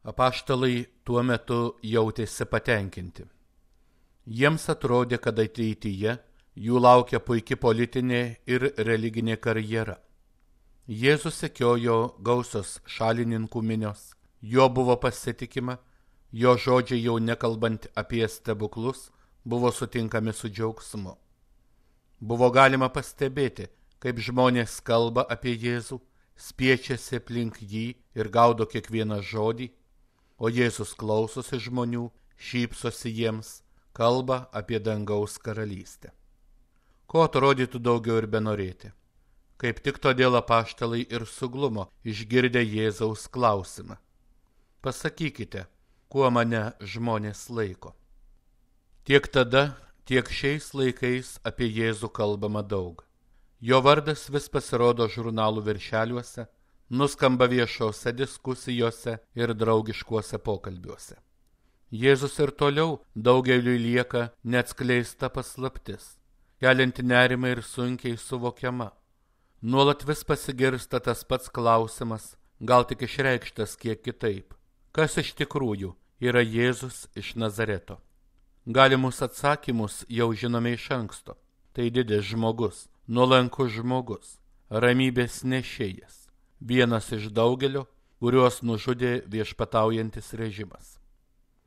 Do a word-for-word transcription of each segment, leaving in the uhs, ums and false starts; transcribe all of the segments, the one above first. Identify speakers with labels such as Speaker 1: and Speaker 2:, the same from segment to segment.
Speaker 1: Apaštalai tuo metu jautėsi patenkinti. Jiems atrodė, kad ateityje jų laukia puiki politinė ir religinė karjera. Jėzus sekiojo gausios šalininkų minios, jo buvo pasitikima, jo žodžiai jau nekalbant apie stebuklus buvo sutinkami su džiaugsmu. Buvo galima pastebėti, kaip žmonės kalba apie Jėzų, spiečiasi aplink jį ir gaudo kiekvieną žodį, o Jėzus klausosi žmonių, šypsosi jiems, kalba apie dangaus karalystę. Ko atrodytų daugiau ir benorėti? Kaip tik todėl apaštalai ir suglumo išgirdę Jėzaus klausimą. Pasakykite, kuo mane žmonės laiko. Tiek tada, tiek šiais laikais apie Jėzų kalbama daug. Jo vardas vis pasirodo žurnalų viršeliuose, nuskamba viešose diskusijose ir draugiškuose pokalbiuose. Jėzus ir toliau daugeliui lieka neatskleista paslaptis, kelianti nerimą ir sunkiai suvokiama. Nuolat vis pasigirsta tas pats klausimas, gal tik išreikštas kiek kitaip. Kas iš tikrųjų yra Jėzus iš Nazareto? Galimus atsakymus jau žinome iš anksto. Tai didis žmogus, nuolankus žmogus, ramybės nešėjas, vienas iš daugelio, kuriuos nužudė viešpataujantis režimas.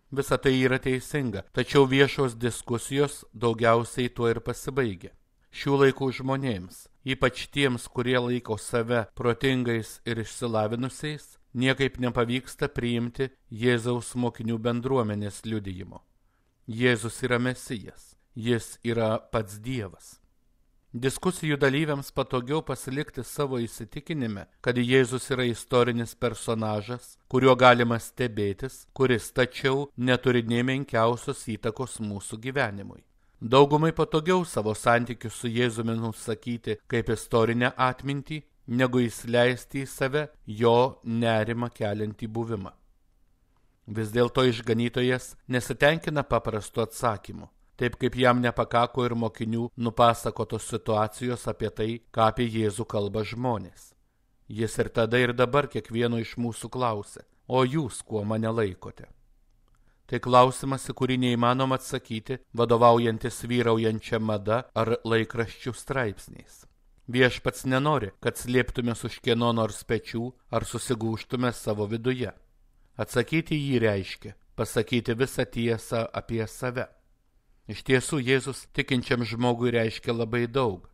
Speaker 1: Visa tai yra teisinga, tačiau viešos diskusijos daugiausiai tuo ir pasibaigia. Šių laikų žmonėms, ypač tiems, kurie laiko save protingais ir išsilavinusiais, niekaip nepavyksta priimti Jėzaus mokinių bendruomenės liudijimo. Jėzus yra Mesijas, jis yra pats Dievas. Diskusijų dalyviams patogiau pasilikti savo įsitikinime, kad Jėzus yra istorinis personažas, kuriuo galima stebėtis, kuris tačiau neturi nė menkiausios įtakos mūsų gyvenimui. Daugumai patogiau savo santykius su Jėzumi nusakyti kaip istorinę atmintį, negu įsileisti į save jo nerimą keliantį buvimą. Vis dėlto išganytojas nesitenkina paprastu atsakymu, taip kaip jam nepakako ir mokinių nupasakotos situacijos apie tai, ką apie Jėzų kalba žmonės. Jis ir tada ir dabar kiekvieno iš mūsų klausia, o jūs kuo mane laikote? Tai klausimas, į kurį neįmanoma atsakyti, vadovaujantis vyraujančia mada ar laikraščių straipsniais. Viešpats nenori, kad slėptumės už kieno nors pečių ar susigūžtume savo viduje. Atsakyti jį reiškia pasakyti visą tiesą apie save. Iš tiesų, Jėzus tikinčiam žmogui reiškia labai daug.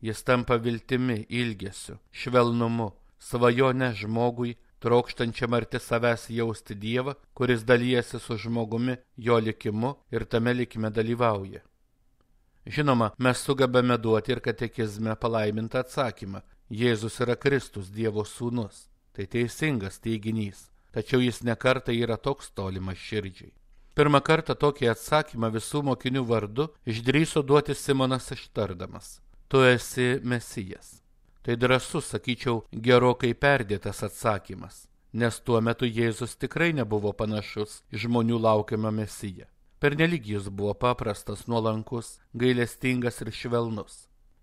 Speaker 1: Jis tampa viltimi, ilgesiu, švelnumu, svajone žmogui, trokštančiam arti savęs jausti Dievą, kuris dalijasi su žmogumi jo likimu ir tame likime dalyvauja. Žinoma, mes sugebame duoti ir katekizme palaimintą atsakymą. Jėzus yra Kristus, Dievo sūnus. Tai teisingas teiginys, tačiau jis nekartą yra toks tolimas širdžiai. Pirmą kartą tokį atsakymą visų mokinių vardu išdrįso duoti Simonas ištardamas: Tu esi Mesijas. Tai drąsus, sakyčiau, gerokai perdėtas atsakymas, nes tuo metu Jėzus tikrai nebuvo panašus į žmonių laukiamą Mesiją. Pernelyg jis buvo paprastas, nuolankus, gailestingas ir švelnus.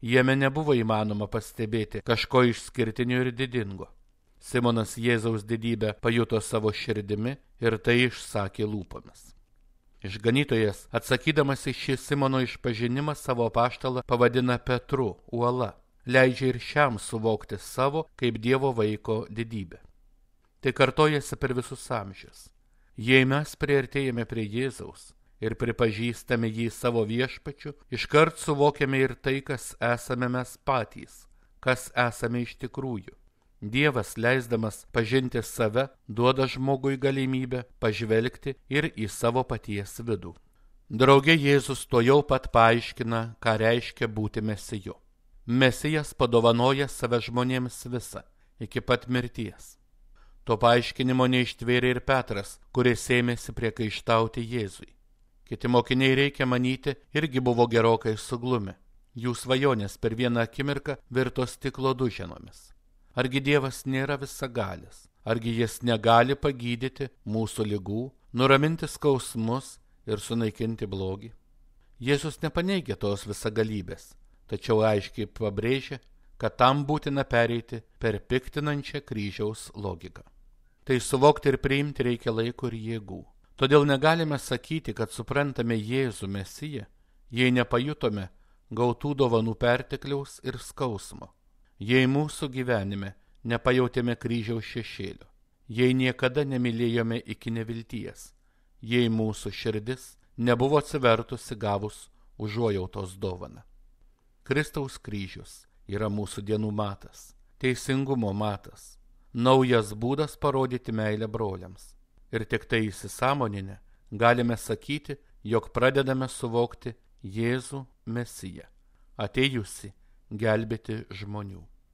Speaker 1: Jame nebuvo įmanoma pastebėti kažko išskirtinio ir didingo. Simonas Jėzaus didybę pajuto savo širdimi ir tai išsakė lūpomis. Išganytojas, atsakydamas į šį Simono išpažinimą, savo apaštalą pavadina Petru, uola, leidžia ir šiam suvokti savo kaip Dievo vaiko didybę. Tai kartojasi per visus amžius. Jei mes priartėjame prie Jėzaus ir pripažįstame jį savo viešpačiu, iškart suvokiame ir tai, kas esame mes patys, kas esame iš tikrųjų. Dievas, leisdamas pažinti save, duoda žmogui galimybę pažvelgti ir į savo paties vidų. Drauge Jėzus to jau pat paaiškina, ką reiškia būti Mesiju. Mesijas padovanoja save žmonėms visą, iki pat mirties. To paaiškinimo neištvėrė ir Petras, kuris ėmėsi priekaištauti Jėzui. Kiti mokiniai, reikia manyti, irgi buvo gerokai suglumę. Jų svajonės per vieną akimirką virto stiklo duženomis. Argi Dievas nėra visagalis? Argi jis negali pagydyti mūsų ligų, nuraminti skausmus ir sunaikinti blogį? Jėzus nepaneigia tos visagalybės, tačiau aiškiai pabrėžia, kad tam būtina pereiti per piktinančią kryžiaus logiką. Tai suvokti ir priimti reikia laiko ir jėgų. Todėl negalime sakyti, kad suprantame Jėzų Mesiją, jei nepajutome gautų dovanų pertekliaus ir skausmo, jei mūsų gyvenime nepajautėme kryžiaus šešėlio, jei niekada nemylėjome iki nevilties, jei mūsų širdis nebuvo atsivertusi gavus užuojautos dovaną. Kristaus kryžius yra mūsų dienų matas, teisingumo matas, naujas būdas parodyti meilę broliams. Ir tik tai įsisąmoninę galime sakyti, jog pradedame suvokti Jėzų Mesiją, atėjusi gelbėti žmonių.